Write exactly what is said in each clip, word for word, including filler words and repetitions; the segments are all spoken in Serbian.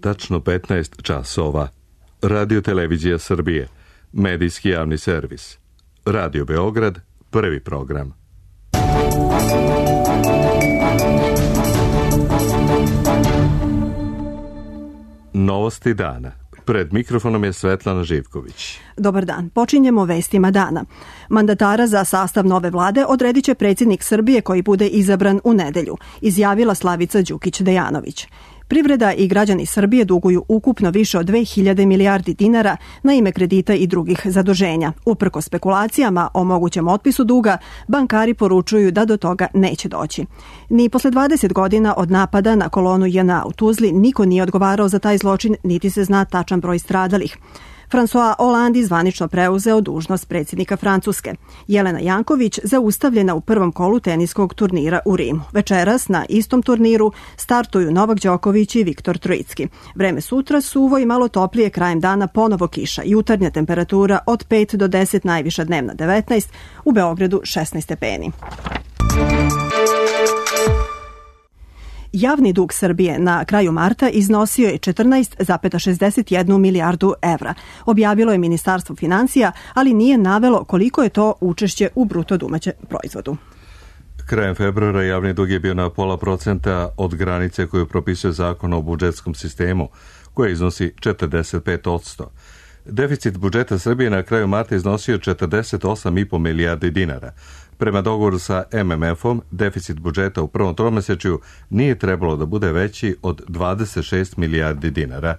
tačno petnaest časova. Radio Televizija Srbije, medijski javni servis. Radio Beograd, prvi program. Novosti dana. Pred mikrofonom je Svetlana Živković. Dobar dan. Počinjemo vestima dana. Mandatara za sastav nove vlade odredit će predsjednik Srbije koji bude izabran u nedelju, izjavila Slavica Đukić-Dejanović. Privreda i građani Srbije duguju ukupno više od dve hiljade milijardi dinara na ime kredita i drugih zaduženja. Uprkos spekulacijama o mogućem otpisu duga, bankari poručuju da do toga neće doći. Ni posle dvadeset godina od napada na kolonu J N A u Tuzli niko nije odgovarao za taj zločin, niti se zna tačan broj stradalih. François Hollande zvanično preuzeo dužnost predsjednika Francuske. Jelena Janković zaustavljena u prvom kolu teniskog turnira u Rimu. Večeras na istom turniru startuju Novak Đoković i Viktor Trojicki. Vreme sutra suvo i malo toplije, krajem dana ponovo kiša. Jutarnja temperatura od pet do deset, najviša dnevna devetnaest, u Beogradu šesnaest stepeni. Javni dug Srbije na kraju marta iznosio je četrnaest zarez šezdeset jedna milijardu evra. Objavilo je Ministarstvo finansija, ali nije navelo koliko je to učešće u bruto domaćem proizvodu. Krajem februara javni dug je bio na pola procenta od granice koju propisuje Zakon o budžetskom sistemu, koja iznosi četrdeset pet posto. Deficit budžeta Srbije na kraju marta iznosio četrdeset osam zarez pet milijardi dinara. Prema dogovoru sa M M F-om, deficit budžeta u prvom tromesečju nije trebalo da bude veći od dvadeset šest milijardi dinara.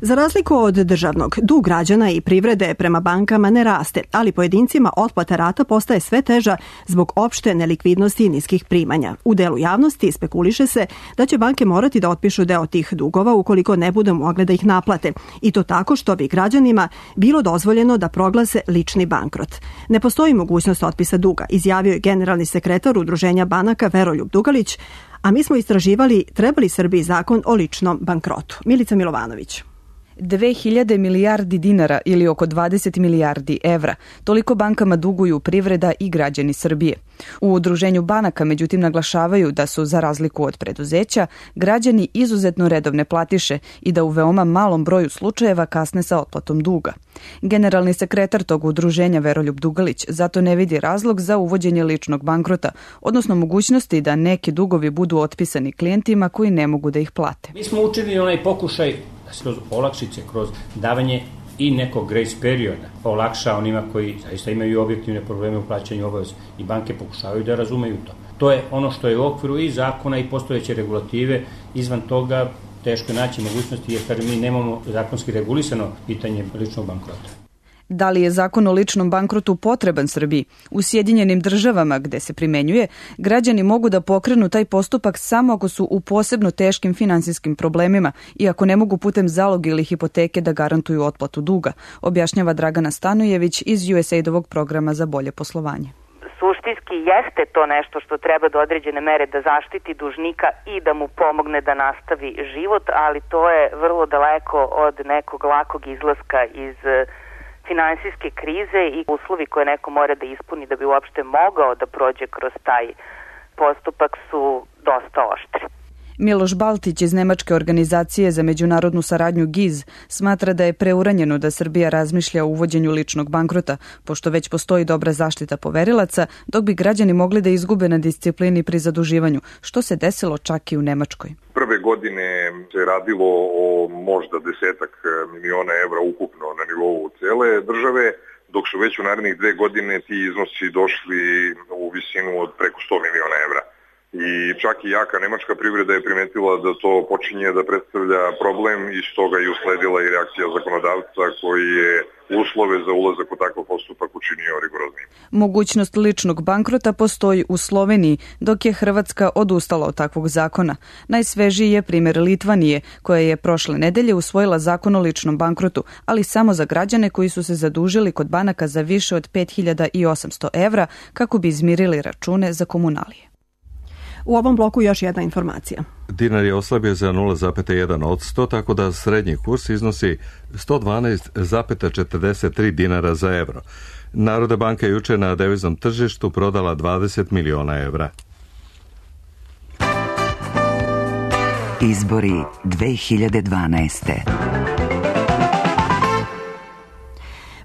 Za razliku od državnog, dug građana i privrede prema bankama ne raste, ali pojedincima otplata rata postaje sve teža zbog opšte nelikvidnosti i niskih primanja. U delu javnosti spekuliše se da će banke morati da otpišu deo tih dugova ukoliko ne budu mogle da ih naplate. I to tako što bi građanima bilo dozvoljeno da proglase lični bankrot. Ne postoji mogućnost otpisa duga, izjavio je generalni sekretar Udruženja banaka Veroljub Dugalić, a mi smo istraživali treba li Srbiji zakon o ličnom bankrotu. Milica Milovanović. Dve hiljade milijardi dinara ili oko dvadeset milijardi evra. Toliko bankama duguju privreda i građani Srbije. U Udruženju banaka međutim naglašavaju da su, za razliku od preduzeća, građani izuzetno redovne platiše i da u veoma malom broju slučajeva kasne sa otplatom duga. Generalni sekretar tog udruženja Veroljub Dugalić zato ne vidi razlog za uvođenje ličnog bankrota, odnosno mogućnosti da neki dugovi budu otpisani klijentima koji ne mogu da ih plate. Mi smo učinili onaj pokušaj kroz olakšice, kroz davanje i nekog grace perioda olakša onima koji zaista imaju objektivne probleme u plaćanju obaveza i banke pokušavaju da razumeju to. To je ono što je u okviru i zakona i postojeće regulative. Izvan toga teško je naći mogućnosti jer mi nemamo zakonski regulisano pitanje ličnog bankrota. Da li je zakon o ličnom bankrotu potreban Srbiji? U Sjedinjenim državama, gde se primenjuje, građani mogu da pokrenu taj postupak samo ako su u posebno teškim finansijskim problemima i ako ne mogu putem zaloga ili hipoteke da garantuju otplatu duga, objašnjava Dragana Stanojević iz U S A I D-ovog programa za bolje poslovanje. Suštinski jeste to nešto što treba do određene mere da zaštiti dužnika i da mu pomogne da nastavi život, ali to je vrlo daleko od nekog lakog izlaska iz finansijske krize i uslovi koje neko mora da ispuni da bi uopšte mogao da prođe kroz taj postupak su dosta oštri. Miloš Baltić iz Nemačke organizacije za međunarodnu saradnju G I Z smatra da je preuranjeno da Srbija razmišlja o uvođenju ličnog bankrota, pošto već postoji dobra zaštita poverilaca, dok bi građani mogli da izgube na disciplini pri zaduživanju, što se desilo čak i u Nemačkoj. Prve godine se radilo o možda desetak miliona evra ukupno na nivou cele države, dok su već u narednih dve godine ti iznosi došli u visinu od preko sto miliona evra. I čak i jaka nemačka privreda je primetila da to počinje da predstavlja problem i stoga je usledila i reakcija zakonodavca koji je uslove za ulazak u takav postupak učinio rigoroznijim. Mogućnost ličnog bankrota postoji u Sloveniji, dok je Hrvatska odustala od takvog zakona. Najsvežiji je primjer Litvanije, koja je prošle nedelje usvojila zakon o ličnom bankrotu, ali samo za građane koji su se zadužili kod banaka za više od pet hiljada osamsto evra kako bi izmirili račune za komunalije. U ovom bloku još jedna informacija. Dinar je oslabio za nula zarez jedan posto, tako da srednji kurs iznosi sto dvanaest zarez četrdeset tri dinara za evro. Narodna banka je juče na deviznom tržištu prodala dvadeset miliona evra. Izbori dve hiljade dvanaeste.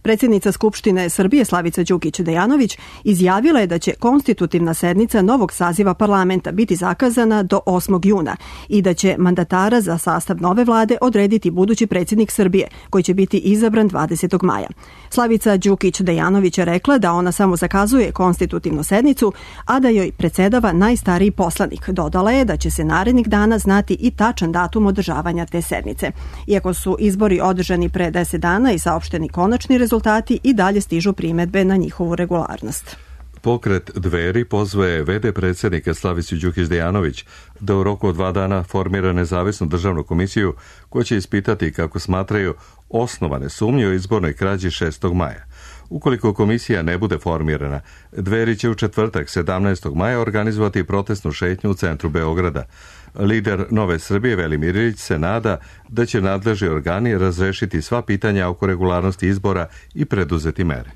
Predsjednica Skupštine Srbije Slavica Đukić Dejanović izjavila je da će konstitutivna sednica novog saziva parlamenta biti zakazana do osmog juna i da će mandatara za sastav nove vlade odrediti budući predsjednik Srbije, koji će biti izabran dvadesetog maja. Slavica Đukić Dejanović je rekla da ona samo zakazuje konstitutivnu sednicu, a da joj predsjedava najstariji poslanik. Dodala je da će se narednih dana znati i tačan datum održavanja te sednice. Iako su izbori održani pre deset dana i saopšteni konačni rezultati, rezultati i dalje stižu primedbe na njihovu regularnost. Pokret Dveri pozvaje ve de predsjednika Slavicu Đukić Dejanović da u roku od dva dana formira nezavisnu državnu komisiju koja će ispitati, kako smatraju, osnovane sumnje o izbornoj krađi šestog maja. Ukoliko komisija ne bude formirana, Dveri će u četvrtak sedamnaestog maja organizovati protestnu šetnju u centru Beograda. Lider Nove Srbije Velimir Ilić se nada da će nadležni organi razrešiti sva pitanja oko regularnosti izbora i preduzeti mere.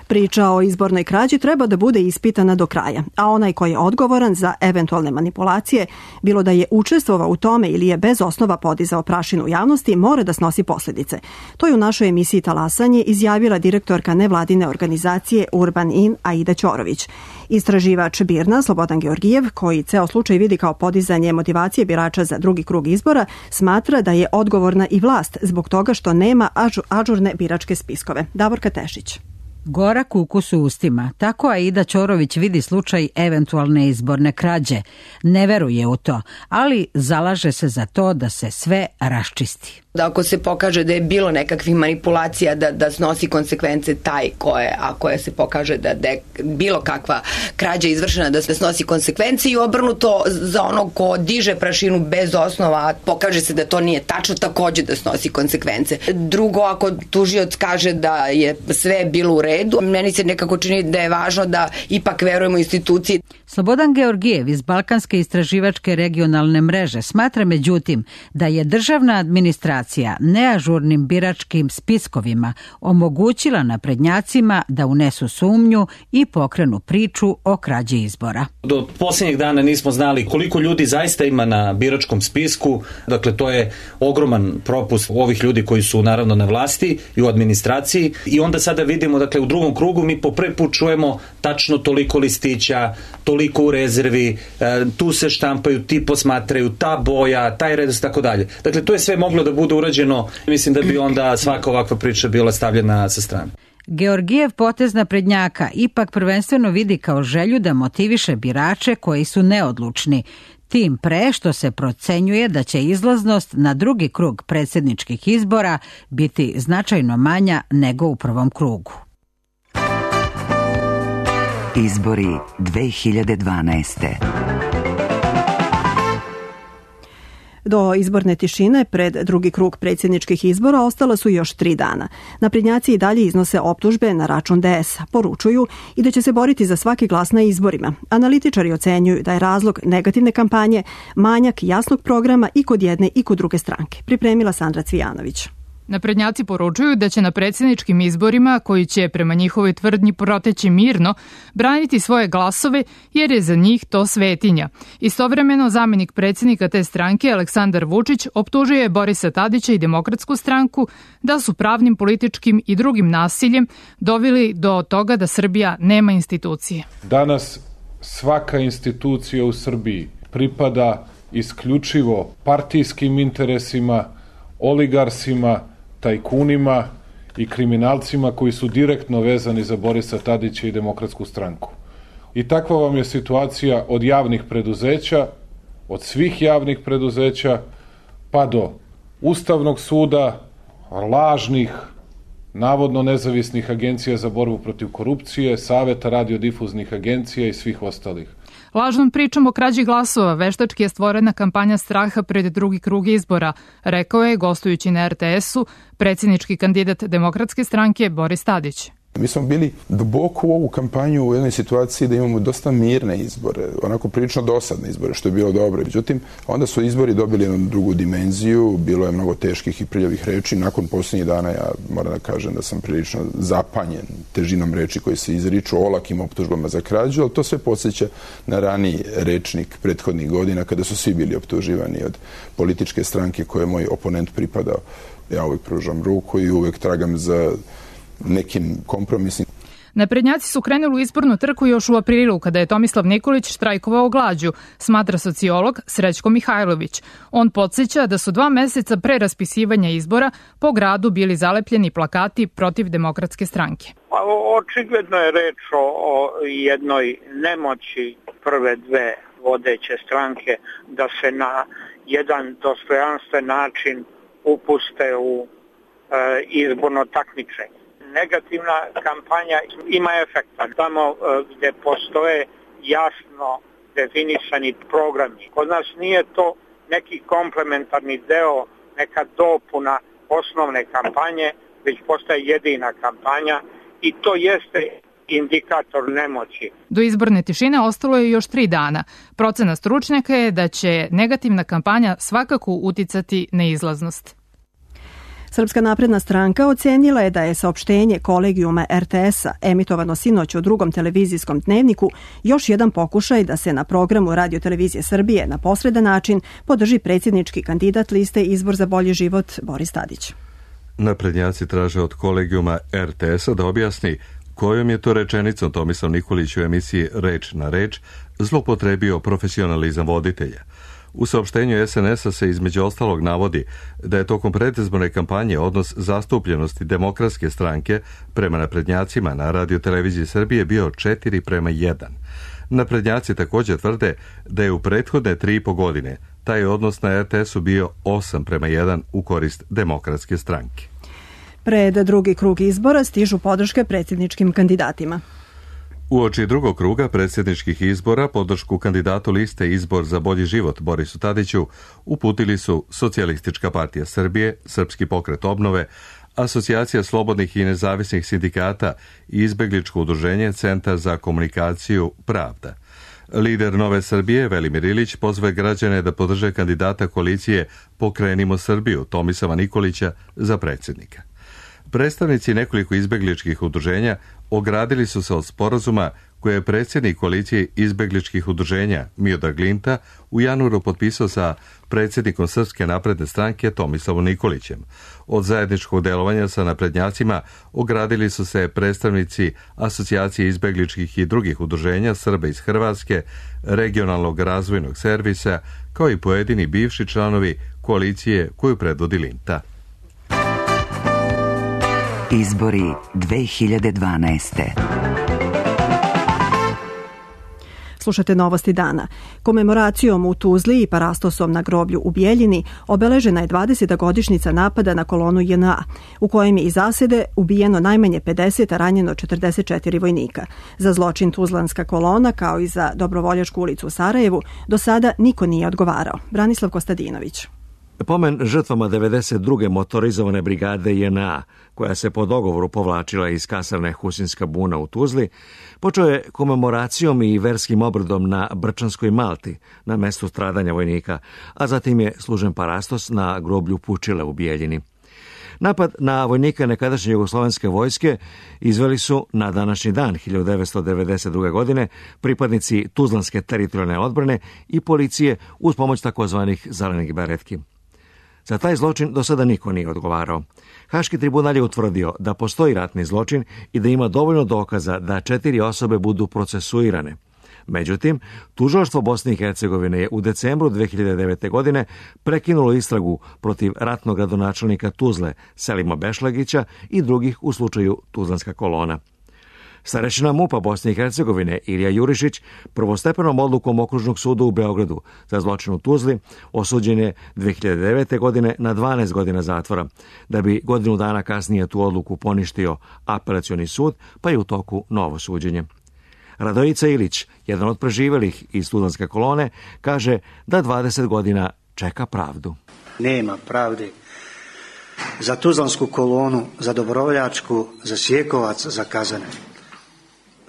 Priča o izbornoj krađi treba da bude ispitana do kraja, a onaj koji je odgovoran za eventualne manipulacije, bilo da je učestvovao u tome ili je bez osnova podizao prašinu u javnosti, mora da snosi posljedice. To je u našoj emisiji Talasanje izjavila direktorka nevladine organizacije Urban In Aida Ćorović. Istraživač Birna Slobodan Georgijev, koji ceo slučaj vidi kao podizanje motivacije birača za drugi krug izbora, smatra da je odgovorna i vlast zbog toga što nema ažurne biračke spiskove. Davorka Tešić. Gorak ukus u ustima. Tako Aida Ćorović vidi slučaj eventualne izborne krađe. Ne veruje u to, ali zalaže se za to da se sve raščisti. Da ako se pokaže da je bilo nekakvih manipulacija, da, da snosi konsekvence taj koje, ako je se pokaže da, da je bilo kakva krađa izvršena, da se snosi konsekvence i obrnuto za onog ko diže prašinu bez osnova, pokaže se da to nije tačno, takođe da snosi konsekvence. Drugo, ako tužioc kaže da je sve bilo u redu, meni se nekako čini da je važno da ipak verujemo instituciji. Slobodan Georgijev iz Balkanske istraživačke regionalne mreže smatra međutim da je državna administracija neažurnim biračkim spiskovima omogućila naprednjacima da unesu sumnju i pokrenu priču o krađi izbora. Do posljednjeg dana nismo znali koliko ljudi zaista ima na biračkom spisku, dakle to je ogroman propust ovih ljudi koji su naravno na vlasti i u administraciji i onda sada vidimo, dakle u drugom krugu mi po prvi put čujemo tačno toliko listića, toliko u rezervi, tu se štampaju, ti posmatraju, ta boja, taj redos, tako dalje. Dakle to je sve moglo da bude urađeno, mislim da bi onda svaka ovakva priča bila stavljena sa strane. Georgijev potez naprednjaka ipak prvenstveno vidi kao želju da motiviše birače koji su neodlučni, tim pre što se procenjuje da će izlaznost na drugi krug predsjedničkih izbora biti značajno manja nego u prvom krugu. Izbori dve hiljade dvanaeste. Do izborne tišine pred drugi krug predsjedničkih izbora ostala su još tri dana. Naprednjaci i dalje iznose optužbe na račun de esa, poručuju i da će se boriti za svaki glas na izborima. Analitičari ocenjuju da je razlog negativne kampanje manjak jasnog programa i kod jedne i kod druge stranke. Pripremila Sandra Cvijanović. Naprednjaci poručuju da će na predsjedničkim izborima, koji će prema njihovoj tvrdnji proteći mirno, braniti svoje glasove jer je za njih to svetinja. Istovremeno, zamjenik predsjednika te stranke, Aleksandar Vučić, optužuje Borisa Tadića i Demokratsku stranku da su pravnim, političkim i drugim nasiljem doveli do toga da Srbija nema institucije. Danas svaka institucija u Srbiji pripada isključivo partijskim interesima, oligarsima, tajkunima i kriminalcima koji su direktno vezani za Borisa Tadića i Demokratsku stranku. I takva vam je situacija od javnih preduzeća, od svih javnih preduzeća, pa do Ustavnog suda, lažnih, navodno nezavisnih agencija za borbu protiv korupcije, Saveta radiodifuznih agencija i svih ostalih. Lažnom pričom o krađi glasova veštački je stvorena kampanja straha pred drugi krug izbora, rekao je, gostujući na er te esu, predsjednički kandidat Demokratske stranke Boris Tadić. Mi smo bili duboko u ovu kampanju u jednoj situaciji da imamo dosta mirne izbore, onako prilično dosadne izbore, što je bilo dobro. Međutim, onda su izbori dobili jednu drugu dimenziju, bilo je mnogo teških i prljavih reči. Nakon posljednjih dana ja moram da kažem da sam prilično zapanjen težinom reči koji se izriču, olakim optužbama za krađu, ali to sve podsjeća na raniji rečnik prethodnih godina kada su svi bili optuživani od političke stranke koje je moj oponent pripadao. Ja uvek pružam ruku i uvek tragam za nekim kompromisnim. Naprednjaci su krenuli u izbornu trku još u aprilu, kada je Tomislav Nikolić štrajkovao glađu, smatra sociolog Srećko Mihajlović. On podsjeća da su dva meseca pre raspisivanja izbora po gradu bili zalepljeni plakati protiv Demokratske stranke. Očigledno je reč o jednoj nemoći prve dve vodeće stranke da se na jedan dostojanstven način upuste u izborno takmičenje. Negativna kampanja ima efekta tamo gde postoje jasno definisani programi. Kod nas nije to neki komplementarni deo, neka dopuna osnovne kampanje, već postaje jedina kampanja i to jeste indikator nemoći. Do izborne tišine ostalo je još tri dana. Procena stručnjaka je da će negativna kampanja svakako uticati na izlaznost. Srpska napredna stranka ocenila je da je saopštenje kolegijuma er te es-a emitovano sinoć u drugom televizijskom dnevniku još jedan pokušaj da se na programu Radio-televizije Srbije na posredan način podrži predsjednički kandidat liste Izbor za bolji život Boris Tadić. Naprednjaci traže od kolegijuma er te es-a da objasni kojom je to rečenicom Tomislav Nikolić u emisiji Reč na reč zlopotrebio profesionalizam voditelja. U saopštenju es en es-a se između ostalog navodi da je tokom predizborne kampanje odnos zastupljenosti Demokratske stranke prema naprednjacima na Radio-televiziji Srbije bio četiri prema jedan. Naprednjaci također tvrde da je u prethodne tri i po godine taj odnos na er te es-u bio osam prema jedan u korist Demokratske stranke. Pred drugi krug izbora stižu podrške predsjedničkim kandidatima. Uoči drugog kruga predsjedničkih izbora podršku kandidatu liste Izbor za bolji život Borisu Tadiću uputili su Socijalistička partija Srbije, Srpski pokret obnove, Asocijacija slobodnih i nezavisnih sindikata i izbegličko udruženje Centar za komunikaciju Pravda. Lider Nove Srbije, Velimir Ilić, pozve građane da podrže kandidata koalicije Pokrenimo Srbiju, Tomislava Nikolića, za predsjednika. Predstavnici nekoliko izbegličkih udruženja ogradili su se od sporazuma koje je predsjednik koalicije izbegličkih udruženja Miodrag Linta u januaru potpisao sa predsjednikom Srpske napredne stranke Tomislavom Nikolićem. Od zajedničkog delovanja sa naprednjacima ogradili su se predstavnici Asocijacije izbegličkih i drugih udruženja Srba iz Hrvatske, Regionalnog razvojnog servisa, kao i pojedini bivši članovi koalicije koju predvodi Linta. Izbori dve hiljade dvanaeste. Slušate novosti dana. Komemoracijom u Tuzli i parastosom na groblju u Bijeljini obeležena je dvadeseta godišnjica napada na kolonu je en a, u kojem je iz zasede ubijeno najmanje pedeset, a ranjeno četrdeset četiri vojnika. Za zločin Tuzlanska kolona, kao i za Dobrovoljačku ulicu u Sarajevu, do sada niko nije odgovarao. Branislav Kostadinović. Pomen žrtvama devedeset druge motorizovane brigade je en a, koja se po dogovoru povlačila iz kasarne Husinska buna u Tuzli, počeo je komemoracijom i verskim obredom na Brčanskoj Malti, na mestu stradanja vojnika, a zatim je služen parastos na groblju Pučile u Bijeljini. Napad na vojnika nekadašnje jugoslovenske vojske izveli su na današnji dan hiljadu devetsto devedeset druge. godine pripadnici Tuzlanske teritorijalne odbrane i policije uz pomoć takozvanih zelenih beretki. Za taj zločin do sada niko nije odgovarao. Haški tribunal je utvrdio da postoji ratni zločin i da ima dovoljno dokaza da četiri osobe budu procesuirane. Međutim, tužilaštvo Bosne i Hercegovine je u decembru dve hiljade devete. godine prekinulo istragu protiv ratnog gradonačelnika Tuzle Selima Bešlagića i drugih u slučaju Tuzlanska kolona. Starešina MUP-a Bosne i Hercegovine Ilija Jurišić prvostepenom odlukom Okružnog suda u Beogradu za zločin u Tuzli osuđen je dve hiljade devete. godine na dvanaest godina zatvora, da bi godinu dana kasnije tu odluku poništio apelacioni sud, pa je u toku novo suđenje. Radojica Ilić, jedan od preživelih iz Tuzlanske kolone, kaže da dvadeset godina čeka pravdu. Nema pravde za Tuzlansku kolonu, za Dobrovoljačku, za Sjekovac, za Kazane.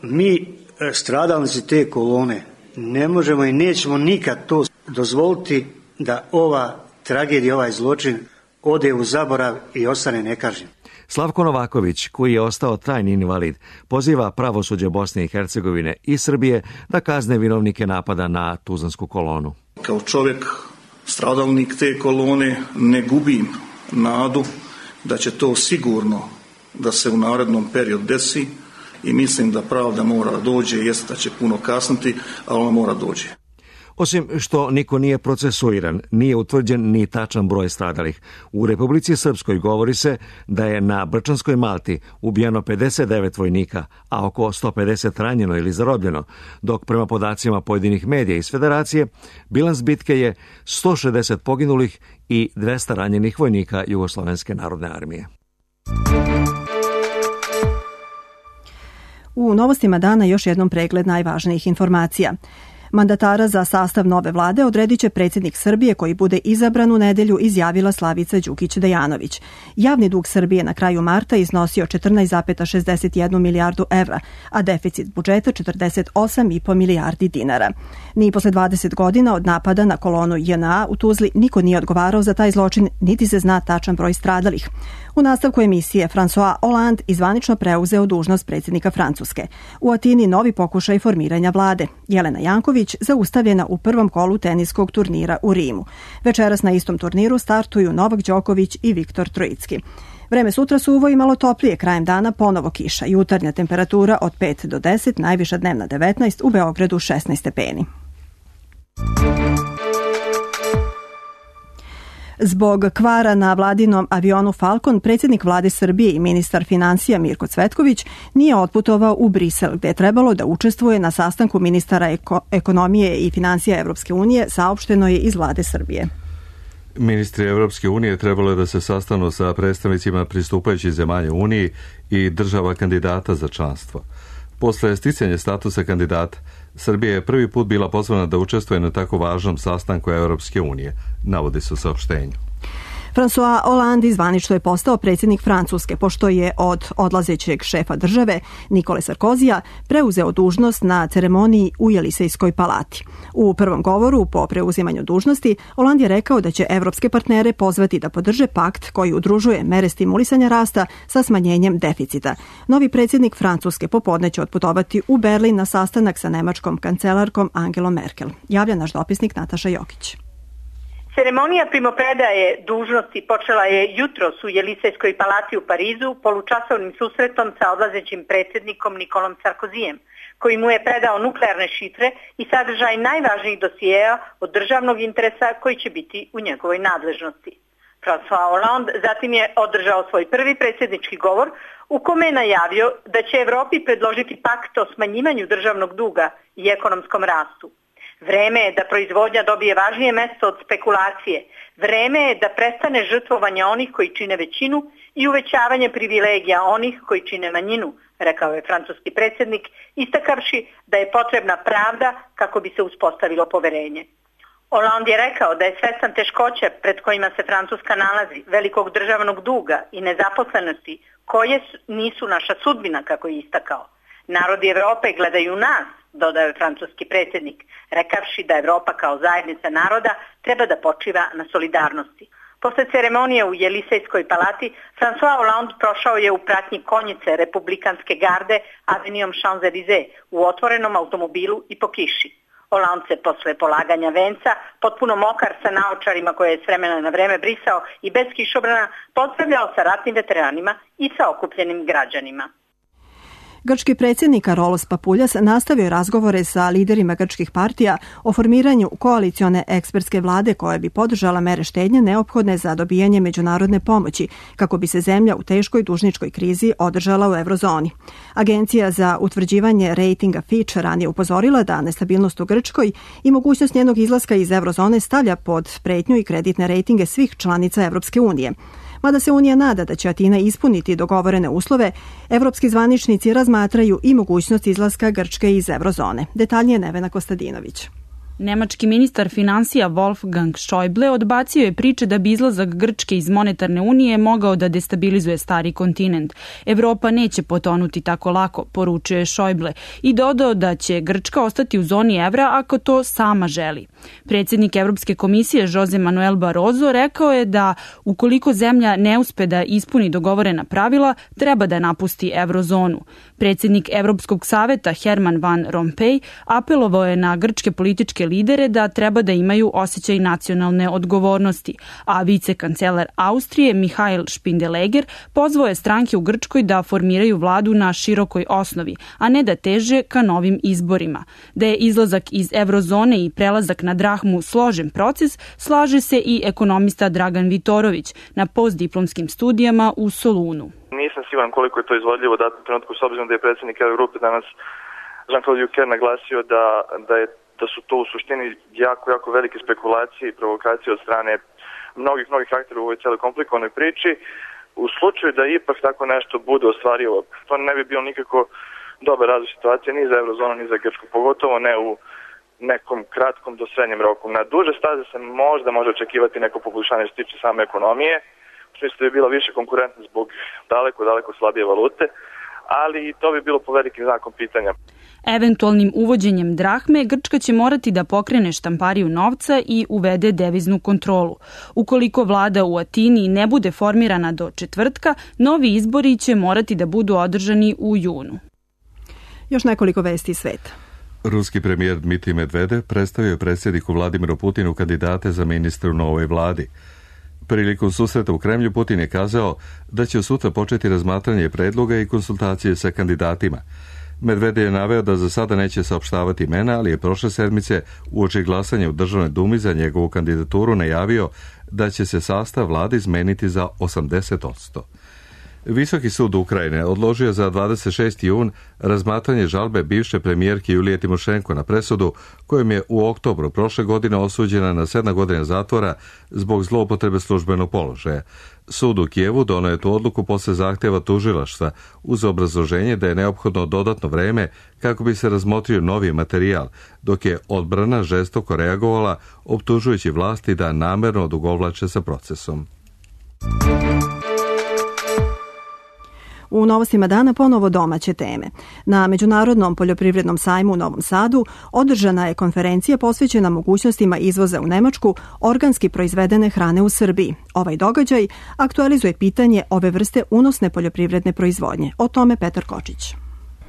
Mi, stradalnici te kolone, ne možemo i nećemo nikad to dozvoliti da ova tragedija, ovaj zločin ode u zaborav i ostane nekažnjen. Slavko Novaković, koji je ostao trajni invalid, poziva pravosuđe Bosne i Hercegovine i Srbije da kazne vinovnike napada na Tuzlansku kolonu. Kao čovjek, stradalnik te kolone, ne gubim nadu da će to sigurno da se u narednom periodu desi i mislim da pravda mora dođe, jest da će puno kasniti, ali ona mora dođe. Osim što niko nije procesuiran, nije utvrđen ni tačan broj stradalih. U Republici Srpskoj govori se da je na Brčanskoj Malti ubijeno pedeset devet vojnika, a oko sto pedeset ranjeno ili zarobljeno, dok prema podacima pojedinih medija iz Federacije, bilans bitke je sto šezdeset poginulih i dvesta ranjenih vojnika Jugoslovenske narodne armije. U novostima dana još jednom pregled najvažnijih informacija. Mandatara za sastav nove vlade odredit će predsjednik Srbije koji bude izabran u nedelju, izjavila Slavica Đukić Dejanović. Javni dug Srbije na kraju marta iznosio četrnaest zarez šezdeset jednu milijardu evra, a deficit budžeta četrdeset osam zarez pet milijardi dinara. Ni posle dvadeset godina od napada na kolonu J N A u Tuzli niko nije odgovarao za taj zločin, niti se zna tačan broj stradalih. U nastavku emisije François Hollande izvanično preuzeo dužnost predsjednika Francuske. U Atini novi pokušaj formiranja vlade. Jelena Janković zaustavljena u prvom kolu teniskog turnira u Rimu. Večeras na istom turniru startuju Novak Đoković i Viktor Trojicki. Vreme sutra suvo i malo toplije, krajem dana ponovo kiša. Jutarnja temperatura od pet do deset, najviša dnevna devetnaest, u Beogradu šesnaest stepeni. Zbog kvara na vladinom avionu Falcon, predsjednik vlade Srbije i ministar financija Mirko Cvetković nije otputovao u Brisel, gde je trebalo da učestvuje na sastanku ministara eko- ekonomije i financija Evropske unije, saopšteno je iz vlade Srbije. Ministri Evropske unije trebalo je da se sastanu sa predstavnicima pristupajućih zemalja Uniji i država kandidata za članstvo. Posle sticanja statusa kandidata, Srbija je prvi put bila pozvana da učestvuje na tako važnom sastanku Evropske unije, navodi se u saopštenju. François Hollande zvanično je postao predsjednik Francuske, pošto je od odlazećeg šefa države Nikole Sarkozija preuzeo dužnost na ceremoniji u Jelisejskoj palati. U prvom govoru po preuzimanju dužnosti Hollande je rekao da će evropske partnere pozvati da podrže pakt koji udružuje mere stimulisanja rasta sa smanjenjem deficita. Novi predsjednik Francuske popodne će otputovati u Berlin na sastanak sa nemačkom kancelarkom Angelom Merkel. Javlja naš dopisnik Nataša Jokić. Ceremonija primopredaje dužnosti počela je jutros u Jelisejskoj palati u Parizu polučasovnim susretom sa odlazećim predsjednikom Nikolom Sarkozijem, koji mu je predao nuklearne šifre i sadržaj najvažnijih dosijeja od državnog interesa koji će biti u njegovoj nadležnosti. François Hollande zatim je održao svoj prvi predsjednički govor u kome je najavio da će Evropi predložiti pakt o smanjivanju državnog duga i ekonomskom rastu. Vreme je da proizvodnja dobije važnije mesto od spekulacije. Vreme je da prestane žrtvovanje onih koji čine većinu i uvećavanje privilegija onih koji čine manjinu, rekao je francuski predsjednik, istakavši da je potrebna pravda kako bi se uspostavilo poverenje. Hollande je rekao da je svestan teškoća pred kojima se Francuska nalazi, velikog državnog duga i nezaposlenosti, koje nisu naša sudbina, kako je istakao. Narodi Evrope gledaju nas, dodao je francuski predsjednik, rekavši da Evropa kao zajednica naroda treba da počiva na solidarnosti. Posle ceremonije u Jelisejskoj palati, François Hollande prošao je u pratnji konjice republikanske garde avenijom Champs-Élysées u otvorenom automobilu i po kiši. Hollande se posle polaganja venca, potpuno mokar sa naočarima koje je s vremena na vreme brisao i bez kišobrana, pozdravljao sa ratnim veteranima i sa okupljenim građanima. Grčki predsjednik Karolos Papuljas nastavio razgovore sa liderima grčkih partija o formiranju koalicione ekspertske vlade koja bi podržala mere štednje neophodne za dobijanje međunarodne pomoći kako bi se zemlja u teškoj dužničkoj krizi održala u eurozoni. Agencija za utvrđivanje rejtinga Fitch ranije upozorila da nestabilnost u Grčkoj i mogućnost njenog izlaska iz eurozone stavlja pod pretnju i kreditne rejtinge svih članica Evropske unije. Mada se Unija nada da će Atina ispuniti dogovorene uslove, evropski zvaničnici razmatraju i mogućnost izlaska Grčke iz eurozone. Detaljnije Nevena Kostadinović. Nemački ministar finansija Wolfgang Schäuble odbacio je priče da bi izlazak Grčke iz monetarne unije mogao da destabilizuje stari kontinent. Evropa neće potonuti tako lako, poručuje Schäuble i dodao da će Grčka ostati u zoni evra ako to sama želi. Predsjednik Evropske komisije Jose Manuel Barroso rekao je da ukoliko zemlja ne uspe da ispuni dogovorena pravila, treba da napusti eurozonu. Predsjednik Evropskog saveta Herman Van Rompuy apelovao je na grčke političke lidere da treba da imaju osjećaj nacionalne odgovornosti, a vicekancelar Austrije Mihail Spindeleger pozvao je stranke u Grčkoj da formiraju vladu na širokoj osnovi, a ne da teže ka novim izborima. Da je izlazak iz eurozone i prelazak na drahmu složen proces, slaže se i ekonomista Dragan Vitorović na postdiplomskim studijama u Solunu. Nisam siguran koliko je to izvodljivo u datom trenutku, s obzirom da je predsjednik Eurogrupe danas Jean-Claude Juncker naglasio da, da, je, da su to u suštini jako, jako velike spekulacije i provokacije od strane mnogih, mnogih aktera u ovoj cijeloj komplikovanoj priči. U slučaju da ipak tako nešto bude ostvarivo, to ne bi bilo nikako dobar razvoj situacije ni za eurozonu, ni za Grčku, pogotovo ne u nekom kratkom do srednjem roku. Na duže staze se možda može očekivati neko poboljšanje što se tiče same ekonomije, u smislu da bi bila više konkurentna zbog daleko, daleko slabije valute, ali i to bi bilo po velikim znakom pitanja. Eventualnim uvođenjem drahme, Grčka će morati da pokrene štampariju novca i uvede deviznu kontrolu. Ukoliko vlada u Atini ne bude formirana do četvrtka, novi izbori će morati da budu održani u junu. Još nekoliko vesti iz sveta. Ruski premijer Dmitrij Medvedev predstavio je predsjedniku Vladimiru Putinu kandidate za ministra u novoj vladi. Prilikom susreta u Kremlju Putin je kazao da će sutra početi razmatranje predloga i konsultacije sa kandidatima. Medvedev je naveo da za sada neće saopštavati imena, ali je prošle sedmice uoči glasanja u Državnoj dumi za njegovu kandidaturu najavio da će se sastav vlade izmeniti za osamdeset posto. Visoki sud Ukrajine odložio za dvadeset šesti jun razmatranje žalbe bivše premijerke Julije Timošenko na presudu kojom je u oktobru prošle godine osuđena na sedam godina zatvora zbog zloupotrebe službenog položaja. Sud u Kijevu doneo je tu odluku posle zahtjeva tužilaštva uz obrazloženje da je neophodno dodatno vreme kako bi se razmotrio novi materijal, dok je odbrana žestoko reagovala optužujući vlasti da namerno odugovlače sa procesom. U novostima dana ponovo domaće teme. Na Međunarodnom poljoprivrednom sajmu u Novom Sadu održana je konferencija posvećena mogućnostima izvoza u Nemačku organski proizvedene hrane u Srbiji. Ovaj događaj aktualizuje pitanje ove vrste unosne poljoprivredne proizvodnje. O tome Petar Kočić.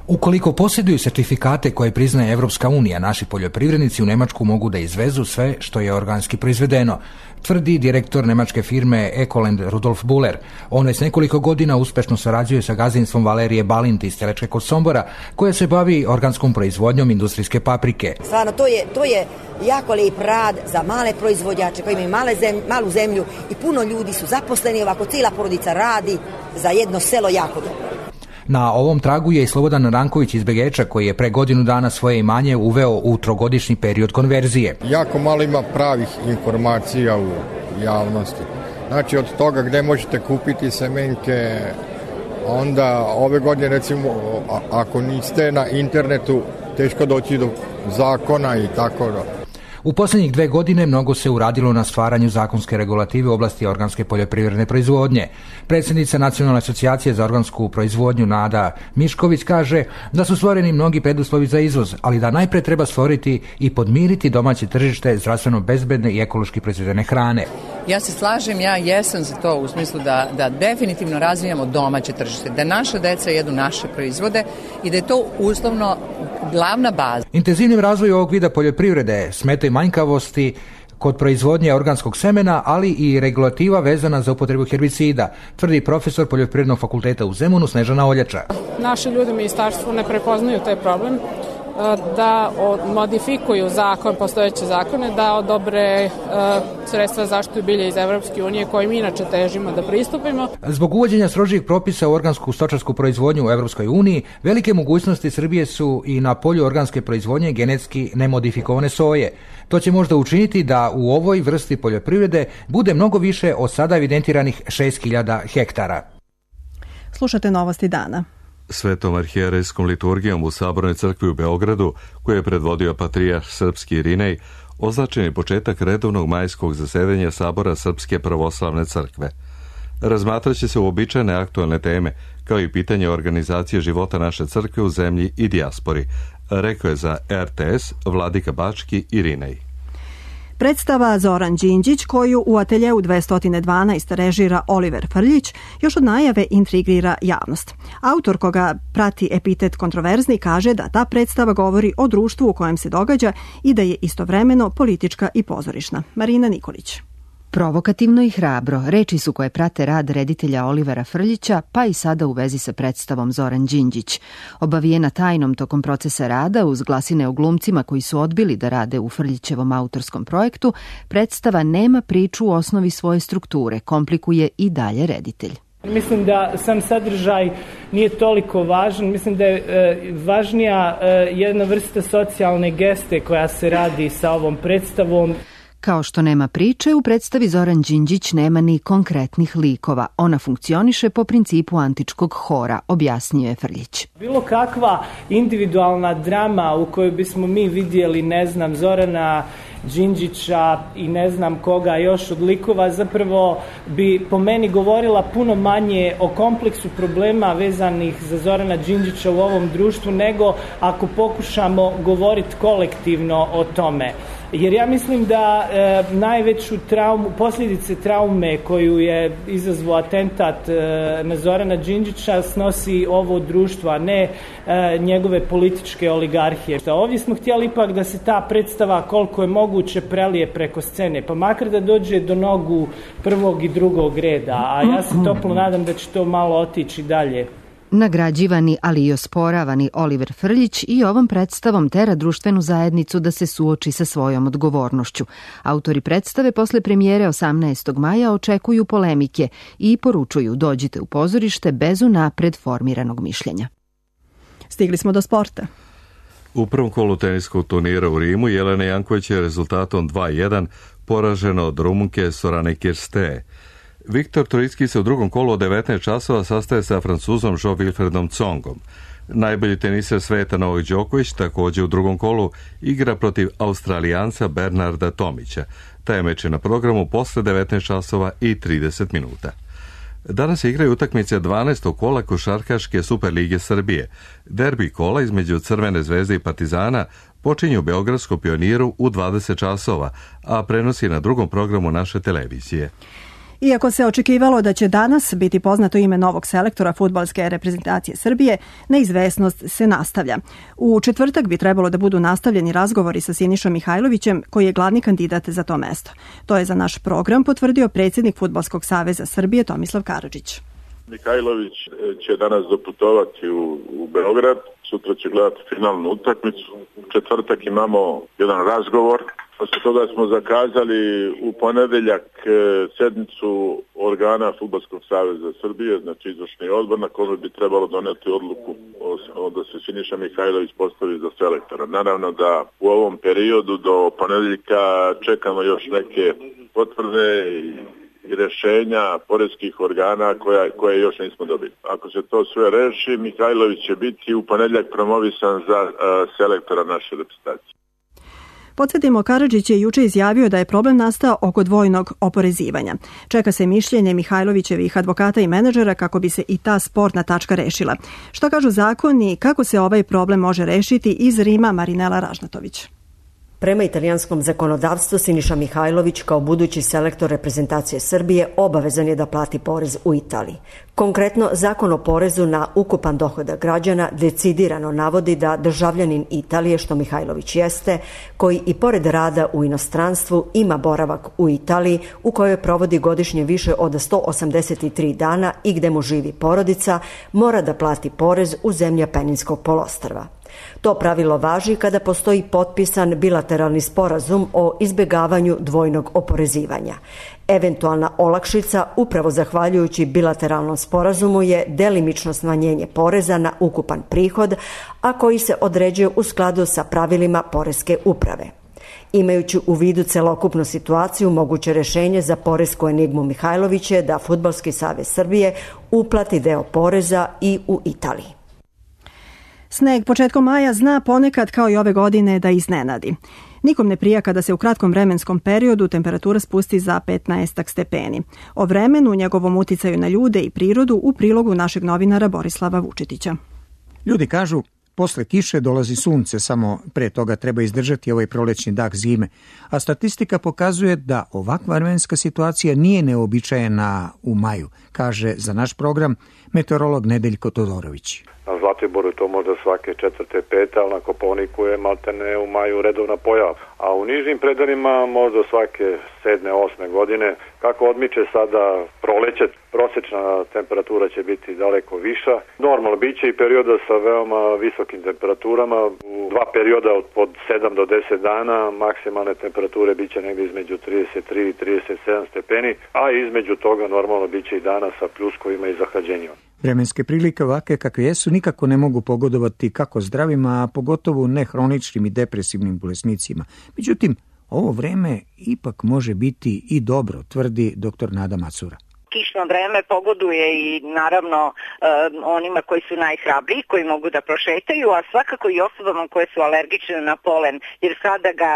Ukoliko posjeduju sertifikate koje priznaje Evropska unija, naši poljoprivrednici u Nemačku mogu da izvezu sve što je organski proizvedeno, tvrdi direktor nemačke firme Ecoland Rudolf Buller. On već nekoliko godina uspešno sarađuje sa gazdinstvom Valerije Balint iz Telečke kod Sombora, koja se bavi organskom proizvodnjom industrijske paprike. Stvarno, to je, to je jako lijep rad za male proizvođače koji imaju male zem, malu zemlju i puno ljudi su zaposleni, ovako cijela porodica radi za jedno selo jako dobro. Na ovom tragu je i Slobodan Ranković iz Begeča, koji je pre godinu dana svoje imanje uveo u trogodišnji period konverzije. Jako malo ima pravih informacija u javnosti. Znači od toga gde možete kupiti semenke, onda ove godine recimo ako niste na internetu teško doći do zakona i tako da. U posljednjih dve godine mnogo se uradilo na stvaranju zakonske regulative u oblasti organske poljoprivredne proizvodnje. Predsjednica Nacionalne asocijacije za organsku proizvodnju Nada Mišković kaže da su stvoreni mnogi preduslovi za izvoz, ali da najpre treba stvoriti i podmiriti domaće tržište zdravstveno bezbedne i ekološki proizvedene hrane. Ja se slažem, ja jesam za to u smislu da, da definitivno razvijamo domaće tržište, da naša deca jedu naše proizvode i da je to uslovno glavna baza. Intenzivnim razvoju ovog vida poljoprivrede smetaju manjkavosti kod proizvodnje organskog semena, ali i regulativa vezana za upotrebu herbicida, tvrdi profesor Poljoprivrednog fakulteta u Zemunu Snežana Oljača. Naši ljudi u ministarstvu ne prepoznaju taj problem, da modifikuju zakon, postojeće zakone, da odobre sredstva zaštitu bilja iz Evropske unije kojim inače težimo da pristupimo. Zbog uvođenja strožijih propisa u organsku stočarsku proizvodnju u Evropskoj uniji, velike mogućnosti Srbije su i na polju organske proizvodnje genetski nemodifikovane soje. To će možda učiniti da u ovoj vrsti poljoprivrede bude mnogo više od sada evidentiranih šest hiljada hektara. Slušate Novosti dana. Svetom arhijerejskom liturgijom u Sabornoj crkvi u Beogradu, koju je predvodio patrijarh srpski Irinej, označen je početak redovnog majskog zasedanja Sabora Srpske pravoslavne crkve. Razmatraće se uobičajene aktualne teme, kao i pitanje organizacije života naše crkve u zemlji i dijaspori, rekao je za R T S vladika Bački Irinej. Predstava Zoran Đinđić, koju u ateljeu dvesta dvanaest režira Oliver Frljić, još od najave intrigira javnost. Autor, koga prati epitet kontroverzni, kaže da ta predstava govori o društvu u kojem se događa i da je istovremeno politička i pozorišna. Marina Nikolić. Provokativno i hrabro, reči su koje prate rad reditelja Olivera Frljića, pa i sada u vezi sa predstavom Zoran Đinđić. Obavijena tajnom tokom procesa rada, uz glasine o glumcima koji su odbili da rade u Frljićevom autorskom projektu, predstava nema priču u osnovi svoje strukture, komplikuje i dalje reditelj. Mislim da sam sadržaj nije toliko važan, mislim da je e, važnija e, jedna vrsta socijalne geste koja se radi sa ovom predstavom. Kao što nema priče, u predstavi Zoran Đinđić nema ni konkretnih likova. Ona funkcioniše po principu antičkog hora, objasnio je Frljić. Bilo kakva individualna drama u kojoj bismo mi vidjeli, ne znam, Zorana Đinđića i ne znam koga još od likova, zapravo bi po meni govorila puno manje o kompleksu problema vezanih za Zorana Đinđića u ovom društvu, nego ako pokušamo govoriti kolektivno o tome. Jer ja mislim da e, najveću traumu, posljedice traume koju je izazvao atentat e, na Zorana Đinđića snosi ovo društvo, a ne e, njegove političke oligarhije. Ovdje smo htjeli ipak da se ta predstava koliko je moguće prelije preko scene, pa makar da dođe do nogu prvog i drugog reda, a ja se toplo nadam da će to malo otići dalje. Nagrađivani, ali i osporavani Oliver Frljić i ovom predstavom tera društvenu zajednicu da se suoči sa svojom odgovornošću. Autori predstave posle premijere osamnaestog maja očekuju polemike i poručuju: dođite u pozorište bez unapred formiranog mišljenja. Stigli smo do sporta. U prvom kolu teniskog turnira u Rimu Jelena Janković je rezultatom dva jedan poražena od Rumunke Sorane Kirste. Viktor Trojicki se u drugom kolu od devetnaest časova sastaje sa Francuzom Jo-Wilfredom Tsongom. Najbolji teniser sveta Novak Đoković također u drugom kolu igra protiv Australijanca Bernarda Tomića. Taj meč je na programu posle devetnaest časova i trideset minuta. Danas igraju utakmice dvanaestog kola Košarkaške Superlige Srbije. Derbi kola između Crvene zvezde i Partizana počinju u Beogradskom Pioniru u dvadeset časova, a prenosi na drugom programu naše televizije. Iako se očekivalo da će danas biti poznato ime novog selektora fudbalske reprezentacije Srbije, neizvesnost se nastavlja. U četvrtak bi trebalo da budu nastavljeni razgovori sa Sinišom Mihajlovićem, koji je glavni kandidat za to mesto. To je za naš program potvrdio predsjednik Fudbalskog saveza Srbije Tomislav Karadžić. Mihajlović će danas doputovati u, u Beograd, sutra će gledati finalnu utakmicu. U četvrtak imamo jedan razgovor. Posle toga smo zakazali u ponedeljak sednicu organa Fudbalskog saveza Srbije, znači izvršni odbor, na kome bi trebalo doneti odluku o, da se Siniša Mihajlović postavi za selektora. Naravno da u ovom periodu do ponedeljka čekamo još neke potvrde i i rješenja poreskih organa koja, koje još nismo dobili. Ako se to sve reši, Mihajlović će biti u ponedjeljak promovisan za uh, selektora naše reprezentacije. Podsjetimo, Karadžić je juče izjavio da je problem nastao oko dvojnog oporezivanja. Čeka se mišljenje Mihajlovićevih advokata i menadžera kako bi se i ta sporna tačka rešila. Što kažu zakoni, kako se ovaj problem može rešiti, iz Rima Marinela Ražnatović. Prema italijanskom zakonodavstvu, Siniša Mihajlović kao budući selektor reprezentacije Srbije obavezan je da plati porez u Italiji. Konkretno, zakon o porezu na ukupan dohodak građana decidirano navodi da državljanin Italije, što Mihajlović jeste, koji i pored rada u inostranstvu ima boravak u Italiji, u kojoj provodi godišnje više od sto osamdeset tri dana i gde mu živi porodica, mora da plati porez u zemlji Apeninskog poluostrva. To pravilo važi kada postoji potpisan bilateralni sporazum o izbjegavanju dvojnog oporezivanja. Eventualna olakšica, upravo zahvaljujući bilateralnom sporazumu, je delimično smanjenje poreza na ukupan prihod, a koji se određuje u skladu sa pravilima poreske uprave. Imajući u vidu celokupnu situaciju, moguće rješenje za poresku enigmu Mihajlović je da Fudbalski savez Srbije uplati deo poreza i u Italiji. Sneg početkom maja zna ponekad kao i ove godine da iznenadi. Nikom ne prija kada se u kratkom vremenskom periodu temperatura spusti za petnaest stepeni. O vremenu, njegovom uticaju na ljude i prirodu u prilogu našeg novinara Borislava Vučetića. Ljudi kažu, posle kiše dolazi sunce, samo pre toga treba izdržati ovaj prolećni dah zime, a statistika pokazuje da ovakva vremenska situacija nije neobičajena u maju, kaže za naš program meteorolog Nedeljko Todorović. Na Zlatiboru to možda svake četvrte, pete, ali na Kopaoniku je maltene u maju redovna pojava. A u nižim predelima možda svake sedme, osme godine. Kako odmiče sada proleće, prosječna temperatura će biti daleko viša. Normalno, bit će i perioda sa veoma visokim temperaturama. U dva perioda od, od sedam do deset dana maksimalne temperature bit će negdje između trideset tri i trideset sedam stepeni, a između toga normalno bit će i dana sa pljuskovima i zahlađenjima. Vremenske prilike ovakve kakve jesu nikako ne mogu pogodovati kako zdravima, a pogotovo ne hroničnim i depresivnim bolesnicima. Međutim, ovo vreme ipak može biti i dobro, tvrdi doktor Nada Macura. Kišno vreme pogoduje i naravno e, onima koji su najhrabriji, koji mogu da prošetaju, a svakako i osobama koje su alergične na polen, jer sada ga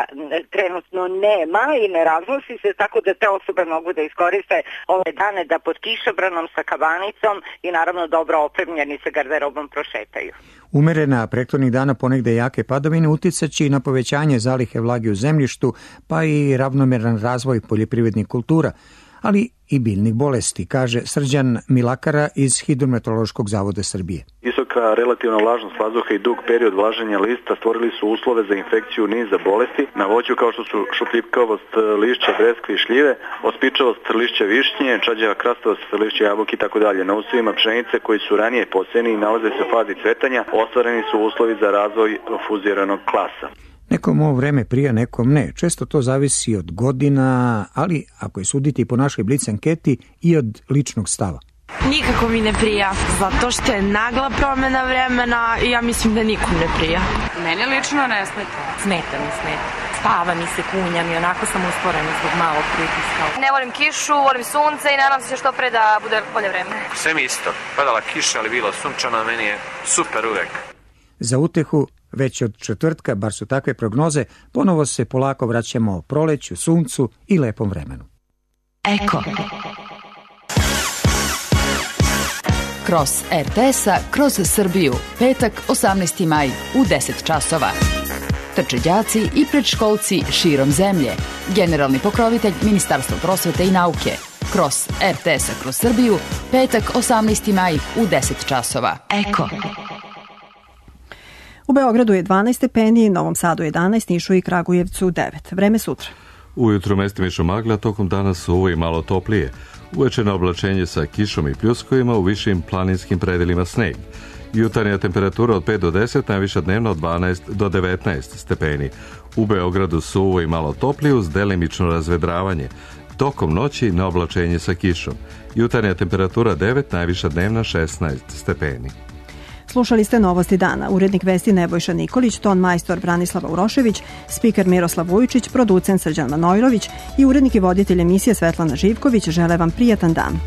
trenutno nema i ne raznosi se, tako da te osobe mogu da iskoriste ove dane da pod kišobranom sa kabanicom i naravno dobro opremljeni sa garderobom prošetaju. Umerena prethodnih dana ponegde jake padavine uticaće i na povećanje zalihe vlage u zemljištu, pa i ravnomeran razvoj poljoprivrednih kultura, ali i biljnih bolesti, kaže Srđan Milakara iz Hidrometeorološkog zavoda Srbije. Visoka relativna vlažnost vazduha i dug period vlaženja lista stvorili su uslove za infekciju niza bolesti na voću kao što su šupljivkavost lišća, breskve i šljive, ospičavost lišća višnje, čađava krastavost lišća jabuke i tako dalje. Na usjevima pšenice koji su ranije posejani i nalaze se u fazi cvetanja, ostvareni su uslovi za razvoj fuziranog klasa. Nekom ovo vreme prija, nekom ne. Često to zavisi od godina, ali ako je suditi po našoj Blic anketi i od ličnog stava. Nikako mi ne prija, zato što je nagla promjena vremena i ja mislim da nikom ne prija. Meni lično ne smeta. Smeta mi, smeta. Spava mi se, kunjam i onako sam usporena zbog malog pritiska. Ne volim kišu, volim sunce i nadam se što pre da bude bolje vreme. Sve mi isto. Padala kiša, ali bilo sunčano, meni je super uvek. Za utehu, već od četvrtka, bar su takve prognoze, ponovo se polako vraćamo proleću, suncu i lepom vremenu. Eko. Kroz er te es-a, kroz Srbiju, petak osamnaesti maj u deset časova. Trče đaci i predškolci širom zemlje. Generalni pokrovitelj Ministarstva prosvete i nauke. Kroz er te es-a, kroz Srbiju, petak osamnaesti maj u deset časova. Eko. U Beogradu je dvanaest stepeni, Novom Sadu jedanaest, Nišu i Kragujevcu devet. Vreme sutra. Ujutru mestimično magla, tokom dana suvo i malo toplije. Uveče na oblačenje sa kišom i pljuskovima, u višim planinskim predelima sneg. Jutarnja temperatura od pet do deset, najviša dnevno od dvanaest do devetnaest stepeni. U Beogradu suvo i malo toplije uz delimično razvedravanje. Tokom noći na oblačenje sa kišom. Jutarnja temperatura devet, najviša dnevna šesnaest stepeni. Slušali ste Novosti dana. Urednik vesti Nebojša Nikolić, ton majstor Branislava Urošević, spiker Miroslav Vujičić, producent Srđan Manojlović i urednik i voditelj emisije Svetlana Živković žele vam prijatan dan.